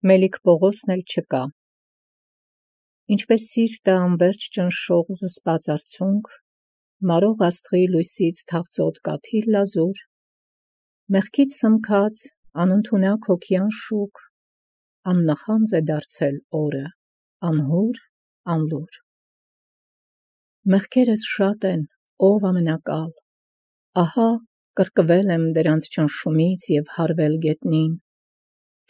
Մելիք Պողոսն էլ չկա։ Ինչպես սիրտը անվերջ ճնշող զսպած արցունք, մարող աստղի լույսից թաղծոտ կաթիլ լազուր, մեղքից սմքած անընդունակ հոգյան շուք, աննախանձ է դարձել օրը, անհուր, անլուր։ Մեղքերս շատ են, ով ամենակալ, ահա կրկվել եմ դրանց ճնշումից և հարվել գետնին,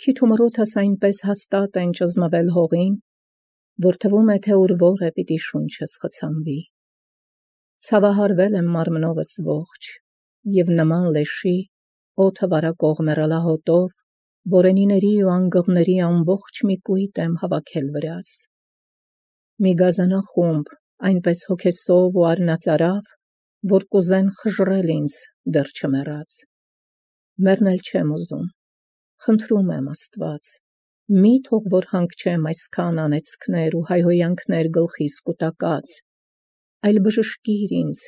քիթ ու մրոթս այնպես հաստատ են ճզմվել հողին, որ թվում է, թե ուրվոր է պիտի շունչս խցանվի։ Ցավահարվել եմ մարմնովս ողջ, և նման լեշի, օդը վարակող մեռալահոտով, բորենիների ու անգղների ամբողջ մի կույտ եմ հավաքել վրաս։ Մի գազանախումբ, այնպես հոգեսով ու արնածարավ, որ կուզեն խժռել ինձ դեռ չմեռած։ Մեռնել չեմ ուզում, խնդրում եմ Աստված, մի թող որ հանգչեմ այսքան անեծքներ ու հայհոյանքներ գլխիս կուտակած, այլ բժշկիր ինձ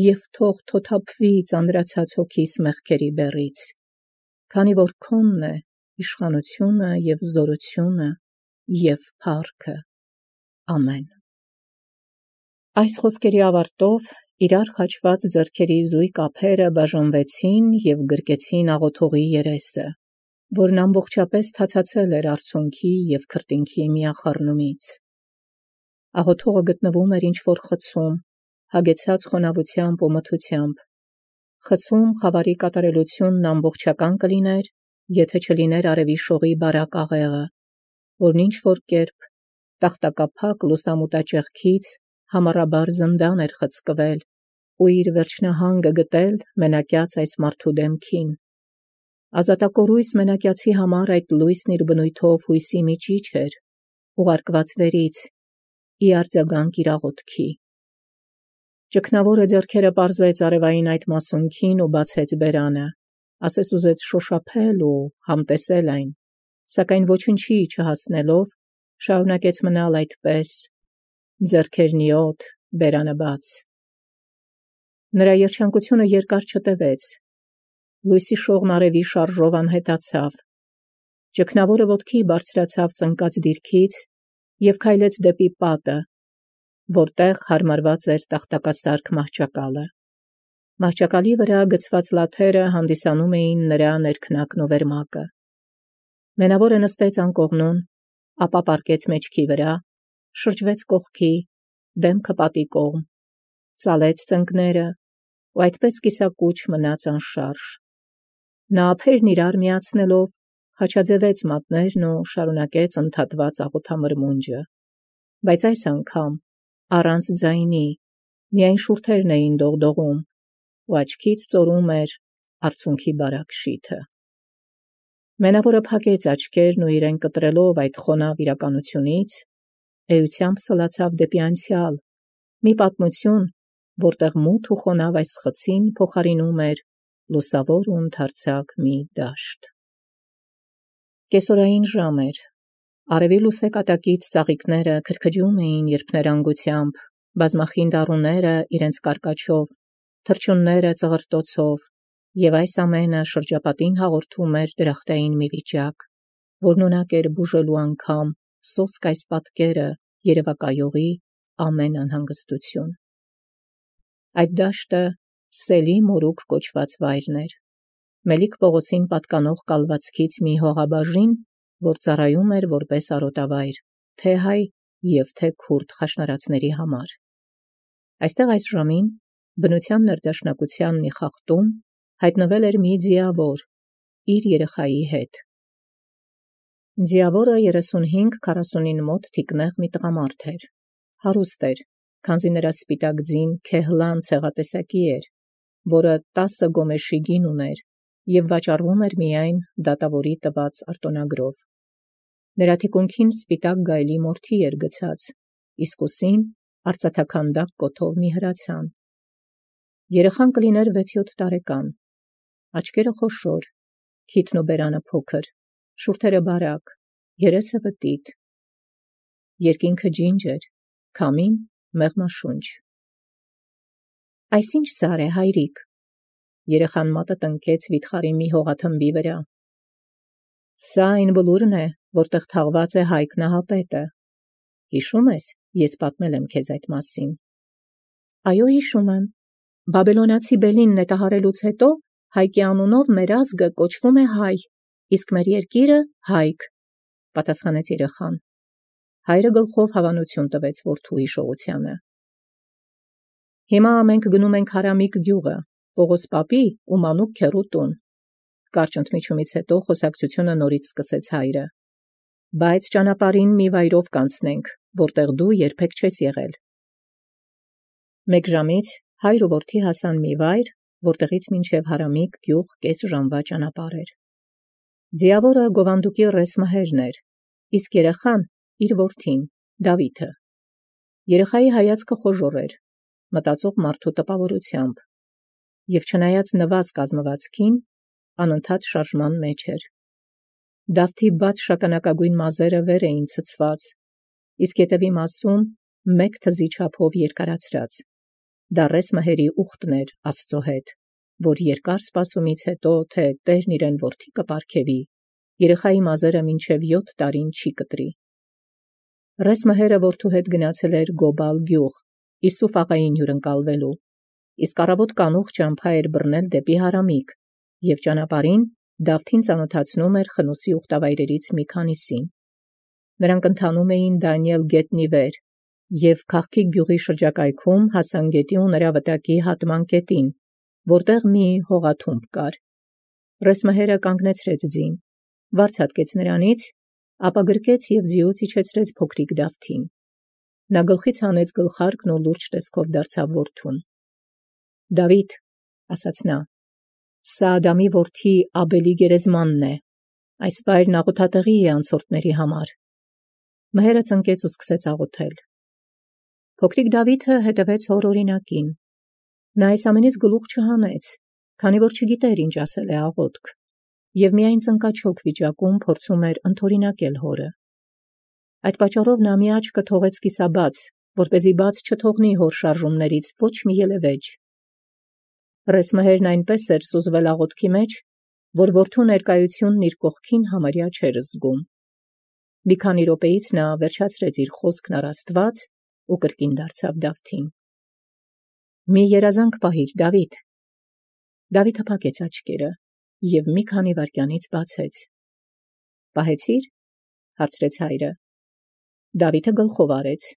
և թող թոթափվի ծանրացած հոգիս մեղքերի բեռից, քանի որ քոնն է իշխանությունը և զորությունը և փառքը, ամեն։ Այս խոսքերի ավարտով իրար խաչված ձեռքերի զույգ ափերը բաժանվեցին և գրկեցին աղոթողի երեսը, որն ամբողջապես թացացել էր արցունքի և քրտինքի միախառնումից։ Աղոթողը գտնվում էր ինչ-որ խցում, հագեցած խոնավությամբ ու մթությամբ։ Խցում խավարի կատարելությունն ամբողջական կլիներ, եթե չլիներ արևի շողի բարակ աղեղը, որն ինչ-որ կերպ տախտակափակ լուսամուտաճեղքից համառաբար զնդան էր խցկվել ու իր վերջնահանգը գտել մենակյաց այս մարդու դեմքին։ Ազատակորույս մենակյացի համար այդ լույսն իր բնույթով հույսի միջիչ էր, ուղարկված վերից, ի արձագանք իր աղոթքի։ Ճգնավորը ձեռքերը պարզեց արևային այդ մասունքին ու բացեց բերանը, ասես ուզեց շոշափել ու համտեսել այն, սակայն ոչնչի չհասնելով, շարունակեց մնալ այդպես, ձեռքերն ի օդ, բերանը բաց։ Նրա երջանկությունը երկար չտևեց, լույսի շողն արևի շարժով անհետացավ, ճգնավորը ոտքի բարձրացավ ծնկած դիրքից և քայլեց դեպի պատը, որտեղ հարմարված էր տախտակասարք մահճակալը։ Մահճակալի վրա գցված լաթերը հանդիսանում էին նրա ներքնակն ու վերմակը։ Մենավորը նստեց անկողնուն, ապա պառկեց մեջքի վրա, շրջվեց կողքի, դեմքը պատի կողմ, ծալեց ծնկները ու այդպես կիսակուչ մնաց անշարժ։ Նա ափերն իրար միացնելով, խաչաձևեց մատներն ու շարունակեց ընդհատված աղոթամրմունջը, բայց այս անգամ առանց ձայնի, միայն շուրթերն էին դողդողում ու աչքից ծորում էր արցունքի բարակ շիթը։ Մենավորը փակեց աչքերն ու իրեն կտրելով այդ խոնավ իրականությունից, էությամբ սլացավ դեպի անցյալ, մի պատմություն, որտեղ մութ ու խոնավ այս խցին փոխարինում էր լուսավոր ու ընդարձակ մի դաշտ։ Կեսօրային ժամ էր, արևի լուսեկատակից ծաղիկները քրքջում էին երփներանգությամբ, բազմախինդ առուները իրենց կարկաչով, թռչունները ծղրտոցով, և այս ամենը շրջապատին հաղորդում էր դրախտային մի վիճակ, որն ունակ էր բուժելու անգամ սոսկ այս պատկերը երևակայողի ամեն անհանգստություն։ Այդ դաշտը Սելի մորուք կոչված վայրն էր, Մելիք Պողոսին պատկանող կալվածքից մի հողաբաժին, որ ծառայում էր որպես արոտավայր, թե հայ և թե քուրդ խաշնարածների համար։ Այստեղ այս ժամին, բնության ներդաշնակության մի խախտում, հայտնվել էր մի ձիավոր իր երեխայի հետ։ Ձիավորը 35-40 մոտ թիկնեղ մի տղամարդ էր, հարուստ էր, քանզի նրա սպիտակ ձին քեհլան ցեղատեսակի էր, որը 10 գոմեշի գին ուներ և վաճառվում էր միայն դատավորի տված արտոնագրով։ Նրա թիկունքին սպիտակ գայլի մորթի էր գցած, իսկ ուսին արծաթաքանդակ կոթով մի հրացան։ Երեխան կլիներ 6-7 տարեկան, աչքերը խոշոր, քիթն ու բերանը փոքր, շուրթերը բարակ, երեսը վտիտ, երկինքը ջինջ էր, քամին մեղմաշունչ։ Այս ի՞նչ սար է, հայրիկ, երեխան մատը տնկեց վիթխարի մի հողաթմբի վրա։ Սա այն բլուրն է, որտեղ թաղված է Հայկ Նահապետը։ Հիշում ես, ես պատմել եմ քեզ այդ մասին։ Այո, հիշում եմ։ Բաբելոնացի Բելին նետահարելուց հետո Հայկի անունով մեր ազգը կոչվում է Հայ, իսկ մեր երկիրը Հայք, պատասխանեց երեխան։ Հայրը գլխով հավանություն տվեց որդու հիշողությանը։ Հիմա մենք գնում ենք Հարամիկ գյուղը, Պողոս պապի ու Մանուկ քեռու տուն։ Կարճ ընդմիջումից հետո խոսակցությունը նորից սկսեց հայրը։ Բայց ճանապարհին մի վայրով կանցնենք, որտեղ դու երբեք չես եղել։ Մեկ ժամից հայր ու որդի հասան մի վայր, որտեղից մինչև Հարամիկ գյուղ կես ժամվա ճանապարհ էր։ Ձիավորը գովանդուկի ռեսմահերն էր, իսկ երեխան իր որդին, Դավիթը։ Երեխայի հայացքը խոժոռ էր, մտածող մարդու տպավորությամբ, եւ չնայած նվազ կազմվածքին, անընդհատ շարժման մեջ էր։ Դավթի բաց շագանակագույն մազերը վեր էին ցցված, իսկ ետևի մասում մեկ թզի չափով երկարացրած։ Դա ռեսմահերի ուխտն էր Աստծո հետ, որ երկար սպասումից հետո, թե Տերն իրեն որդի կպարգևի, երեխայի մազերը մինչև 7 տարին չի կտրի։ Ռեսմահերը որդու հետ գնացել էր Գոբալ գյուղ, Իսուֆ աղային հյուրընկալվելու, իսկ առավոտ կանուխ ճամփա էր բռնել դեպի Հարամիկ, եւ ճանապարհին Դավթին ծանոթացնում էր Խնոսի ուխտավայրերից մի քանիսին։ Նրանք ընթանում էին Դանիել գետնի վեր, եւ Քաղքի գյուղի շրջակայքում հասան գետի ու նրա վտակի հատման կետին, որտեղ մի հողաթումբ կար։ Ռեսմահերը կանգնեցրեց ձին, վարձ հատկեց նրանից, ապա գրկեց եւ ձիուց իջեցրեց փոքրիկ Դավթին։ Նա գլխից հանեց գլխարկն ու լուրջ տեսքով դարձավ որդուն։ Դավիթ, ասաց նա, սա Ադամի որդի Աբելի գերեզմանն է։ Այս վայրն աղոթատեղի է անցորդների համար։ Մհերը ծնկեց ու սկսեց աղոթել։ Փոքրիկ Դավիթը հետևեց հոր օրինակին։ Նա այս ամենից գլուխ չհանեց, քանի որ չգիտեր ինչ ասել է աղոթք, եւ միայն ծնկաչոք վիճակում փորձում էր ընդօրինակել հորը։ Այդ պատճառով նա մի աչքը թողեց կիսաբաց, որպեսզի բաց չթողնի հոր շարժումներից ոչ մի ելևէջ։ Ռեսմահերն այնպես էր սուզվել աղոթքի մեջ, որ որդու ներկայությունն իր կողքին համարյա չէր զգում։ Մի քանի րոպեից նա վերջացրեց իր խոսքն առ Աստված ու կրկին դարձավ Դավթին։ Մի երազանք պահիր, Դավիթ։ Դավիթը փակեց աչքերը եւ մի քանի վայրկյանից բացեց։ Պահեցի՞ր, հարցրեց հայրը։ Դավիթը գլխով արեց։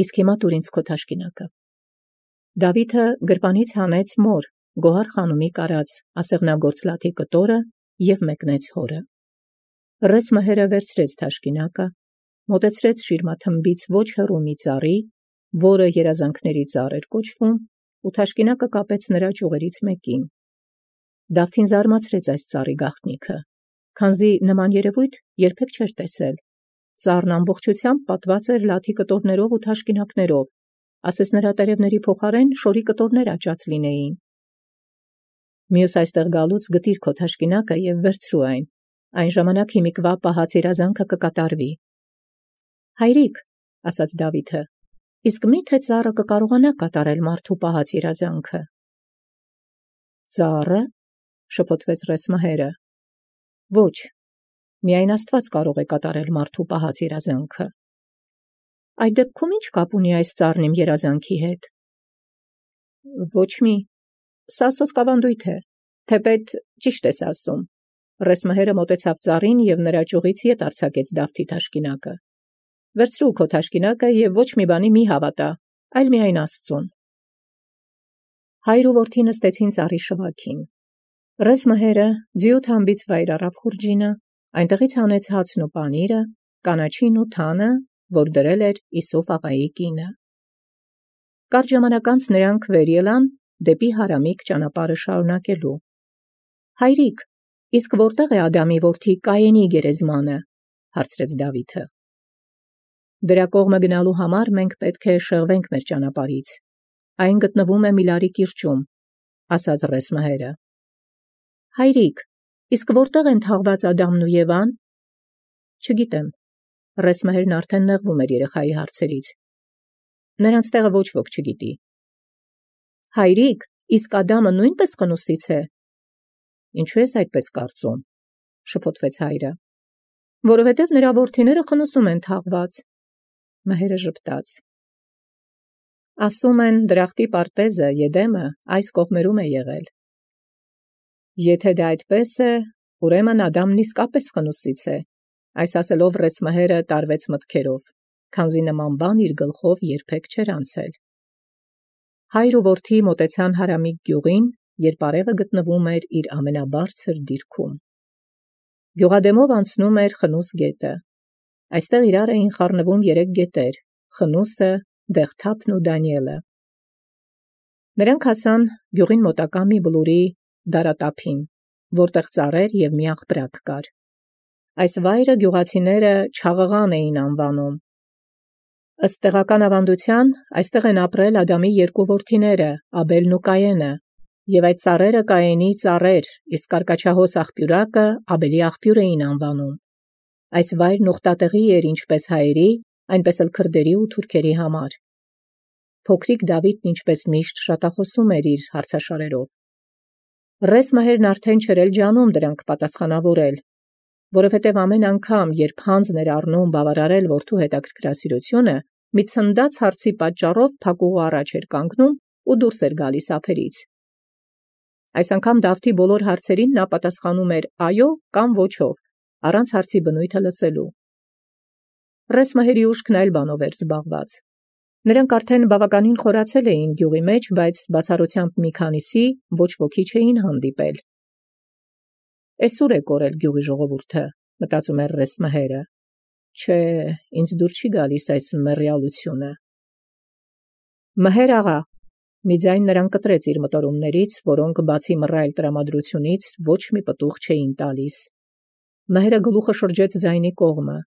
Իսկ հիմա տուր ինձ քո թաշկինակը։ Դավիթը գրպանից հանեց մոր, գոհար խանումի կարած, ասեղնագործ լաթի կտորը եւ մեկնեց հորը։ Ռեսմահերը վերցրեց թաշկինակը, մոտեցրեց շիրմաթմբից ոչ հեռու մի ծառի, որը երազանքների ծառ էր կոչվում, ու թաշկինակը կապեց նրա ճյուղերից մեկին։ Դավթին զարմացրեց այս ծառի գաղտնիքը, քանզի նման երևույթ երբեք չէր տեսել։ Ծառն ամբողջությամբ պատված էր լաթի կտորներով ու թաշկինակներով, ասես նրա տերևների փոխարեն շորի կտորներ աճած լինեին։ Մյուս այստեղ գալուց գտիր քո թաշկինակը եւ վերցրու այն։ Այն ժամանակ հիմիկվա պահած երազանքը կկատարվի։ Հայրիկ, ասաց Դավիթը, իսկ մի՞թե ծառը կկարողանա կատարել մարդու պահած երազանքը։ Ծառը, շփոթվեց Ռեսմահերը։ Ոչ, միայն Աստված կարող է կատարել մարդու պահած երազանքը։ Այդ դեպքում ինչ կապ ունի այս ծառն իմ երազանքի հետ։ Ոչ մի, սա սոսկավանդույթ է, թեպետ ճիշտ ես ասում։ Ռեսմահերը մոտեցավ ծառին եւ նրա ճյուղից ետ արձակեց Դավթի թաշկինակը։ Վերցրու քո թաշկինակը եւ ոչ մի բանի մի հավատա, այլ միայն Աստծուն։ Հայր ու որդի նստեցին ծառի շվաքին։ Ռեսմահերը ձիու թամբից վայր առավ խուրջինը, այնտեղից հանեց հացն ու պանիրը, կանաչին ու թանը, որ դրել էր Իսուֆ աղայի կինը։ Կարճ ժամանակ անց նրանք վեր ելան դեպի Հարամիկ ճանապարհը շարունակելու։ Հայրիկ, իսկ որտեղ է Ադամի որդի Կայենի գերեզմանը, հարցրեց Դավիթը։ Դրա կողմը գնալու համար մենք պետք է շեղվենք մեր ճանապարհից։ Այն գտնվում է Միլարի կիրճում, ասաց Ռեսմահերը։ Հայրիկ, իսկ որտեղ են թաղված Ադամն ու Եվան։ Չգիտեմ։ Ռեսմահերն արդեն նեղվում էր երեխայի հարցերից։ Նրանց տեղը ոչ ոք չգիտի։ Հայրիկ, իսկ Ադամը նույնպես Խնոսից է։ Ինչու ես այդպես կարծում։ շփոթվեց հայրը։ Որովհետև նրա որդիները խնուսում են թաղված։ Մհերը ժպտաց։ Ասում են դրախտի պարտեզը Եդեմը այս կողմերում է եղել։ Եթե դա այդպես է, ուրեմն Ադամն իսկապես խնուսից է, այս ասելով Ռեսմհերը տարվեց մտքերով, քանզի նման բան իր գլխով երբեք չէր անցել։ Հայր ու որդի մոտեցան Հարամիկ գյուղին, երբ արևը գտնվում էր իր ամենաբարձր դիրքում։ Գյուղադեմով անցնում էր Խնուս գետը։ Այստեղ իրար էին խառնվում 3 գետեր՝ Խնուսը, Դեղթափն ու Դանիելը։ Նրանք հասան գյուղին մոտակա մի բլուրի դարատափին, որտեղ ծառեր և մի աղբրակ կար։ Այս վայրը գյուղացիները Չաղղան էին անվանում։ Ըստ տեղական ավանդության, այստեղ են ապրել Ադամի 2 որդիները՝ Աբելն ու Կայենը, և այդ ծառերը Կայենի ծառեր, իսկ կարկաչահոս աղբյուրակը Աբելի աղբյուր էին անվանում։ Այս վայրն ուխտատեղի էր ինչպես հայերի, այնպես էլ քրդերի ու թուրքերի համար։ Փոքրիկ Դավիթն ինչպես միշտ շատախոսում էր իր հարցաշարերով։ Ռեսմհերն արդեն չէր էլ ջանում դրանք պատասխանավորել, որովհետև ամեն անգամ, երբ հանձն էր առնում բավարարել որդու հետաքրքրասիրությունը, մի ցնդած հարցի պատճառով փակուղու առաջ էր կանգնում ու դուրս էր գալիս ափերից։ Այս անգամ Դավթի բոլոր հարցերին նա պատասխանում էր այո կամ ոչով, առանց հարցի բնույթը լսելու։ Ռեսմհերի ուշքն այլ բանով էր զբաղված։ Նրանք արդեն բավականին խորացել էին գյուղի մեջ, բայց բացառությամբ մի քանիսի ոչ ոքի չէին հանդիպել։ Էս ուր է կորել գյուղի ժողովուրդը, մտածում էր Ռեսմհերը։ Չէ, ինձ դուր չի գալիս այս մեռյալությունը։ Մհեր աղա, մի ձայն նրան կտրեց իր մտորումներից, որոնք բացի մռայլ տրամադրությունից ոչ մի պտուղ չէին տալիս։ Մհերը գլուխը շրջեց ձայնի կողմը։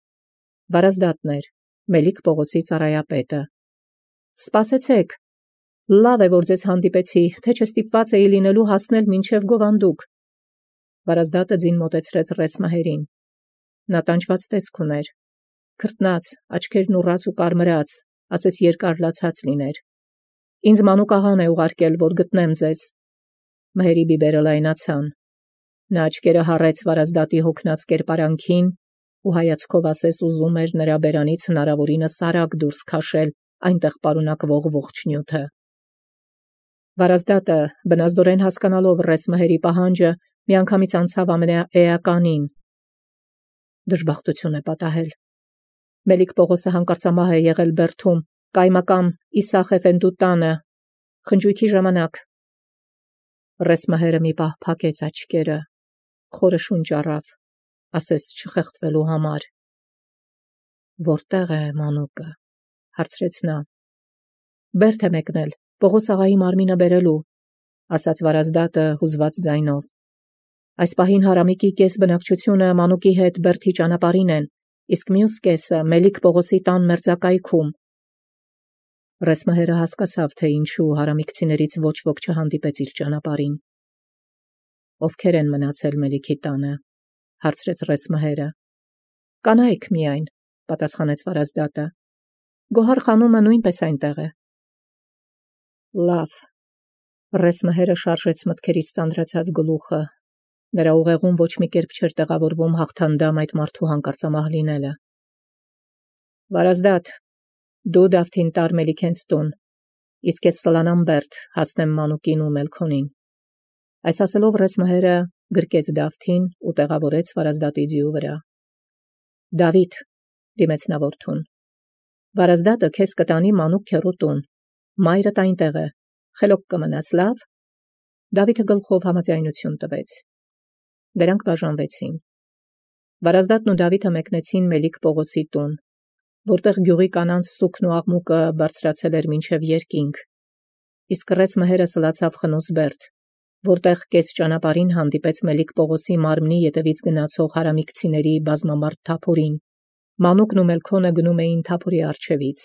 Վարազդատն էր, Մելիք Պողոսի ծառայապետը։ Սպասեցեք, լավ է, որ ձեզ հանդիպեցի, թե չստիպված էի լինելու հասնել մինչև Գովանդուկ։ Վարազդատը ձին մոտեցրեց Ռեսմհերին։ Նա տանջված տեսք ուներ, քրտնած, աչքերն ուռած ու կարմրած, ասես երկար լացած լիներ։ Ինձ մանուկ աղան է ուղարկել, որ գտնեմ ձեզ։ Մհերի բիբերը լայնացան։ Նա աչքերը հառեց Վարազդատի հոգնած կերպարանքին ու հայացքով ասես ուզում էր նրա բերանից հնարավորինս արագ դուրս քաշել այնտեղ պարունակվող ողջ նյութը։ Վարազդատը, բնազդորեն հասկանալով Ռեսմհերի պահանջը, միանգամից անցավ ամենաէականին։ Դժբախտություն է պատահել։ Մելիք Պողոսը հանկարծամահ է եղել Բերդում, կայմակամ Իսախ Էֆենդու տանը, խնջույքի ժամանակ։ Ռեսմհերը մի պահ փակեց աչքերը, խորը շունչ առավ, ասես չխեղդվելու համար։ Որտեղ է մանուկը, հարցրեց նա։ Բերդ է մեկնել, Պողոս աղայի մարմինը բերելու, ասաց Վարազդատը հուզված ձայնով։ Այս պահին Հարամիկի կես բնակչությունը մանուկի հետ Բերդի ճանապարհին են, իսկ մյուս կեսը Մելիք Պողոսի տան մերձակայքում։ Ռեսմհերը հասկացավ, թե ինչու հարամիկցիներից ոչ ոք չհանդիպեց իր ճանապարհին։ Ովքեր են մնացել Մելիքի տանը, հարցրեց Ռեսմհերը։ Կանայք միայն, պատասխանեց Վարազդատը։ Գոհար խանումը նույնպես այնտեղ է։ Լավ։ Ռեսմհերը շարժեց մտքերից ծանրացած գլուխը։ Նրա ուղեղում ոչ մի կերպ չէր տեղավորվում հաղթանդամ այդ մարդու հանկարծամահ լինելը։ Վարազդատ, դու Դավթին տար Մելիքենց տուն, իսկ ես սլանամ Բերդ, հասնեմ մանուկին ու Մելքոնին։ Այս ասելով Ռեսմհերը գրկեց Դավթին ու տեղավորեց Վարազդատի ձիու վրա։ Դավիթ, դիմեց նա որդուն, Վարազդատը քեզ կտանի մանուկ քեռու տուն, մայրդ այնտեղ է, խելոք կմնաս, լավ։ Դավիթը գլխով համաձայնություն տվեց։ Դրանք բաժանվեցին։ Վարազդատն ու Դավիթը մեկնեցին Մելիք Պողոսի տուն, որտեղ գյուղի կանանց սուքն ու աղմուկը բարձրացել էր մինչև երկինք, իսկ Ռեսմհերը սլացավ Խնուս Բերդ, որտեղ կես ճանապարհին հանդիպեց Մելիք Պողոսի մարմնի ետևից գնացող հարամիկցիների բազմամարդ թափորին։ Մանուկն ու Մելքոնը գնում էին թափորի առջևից։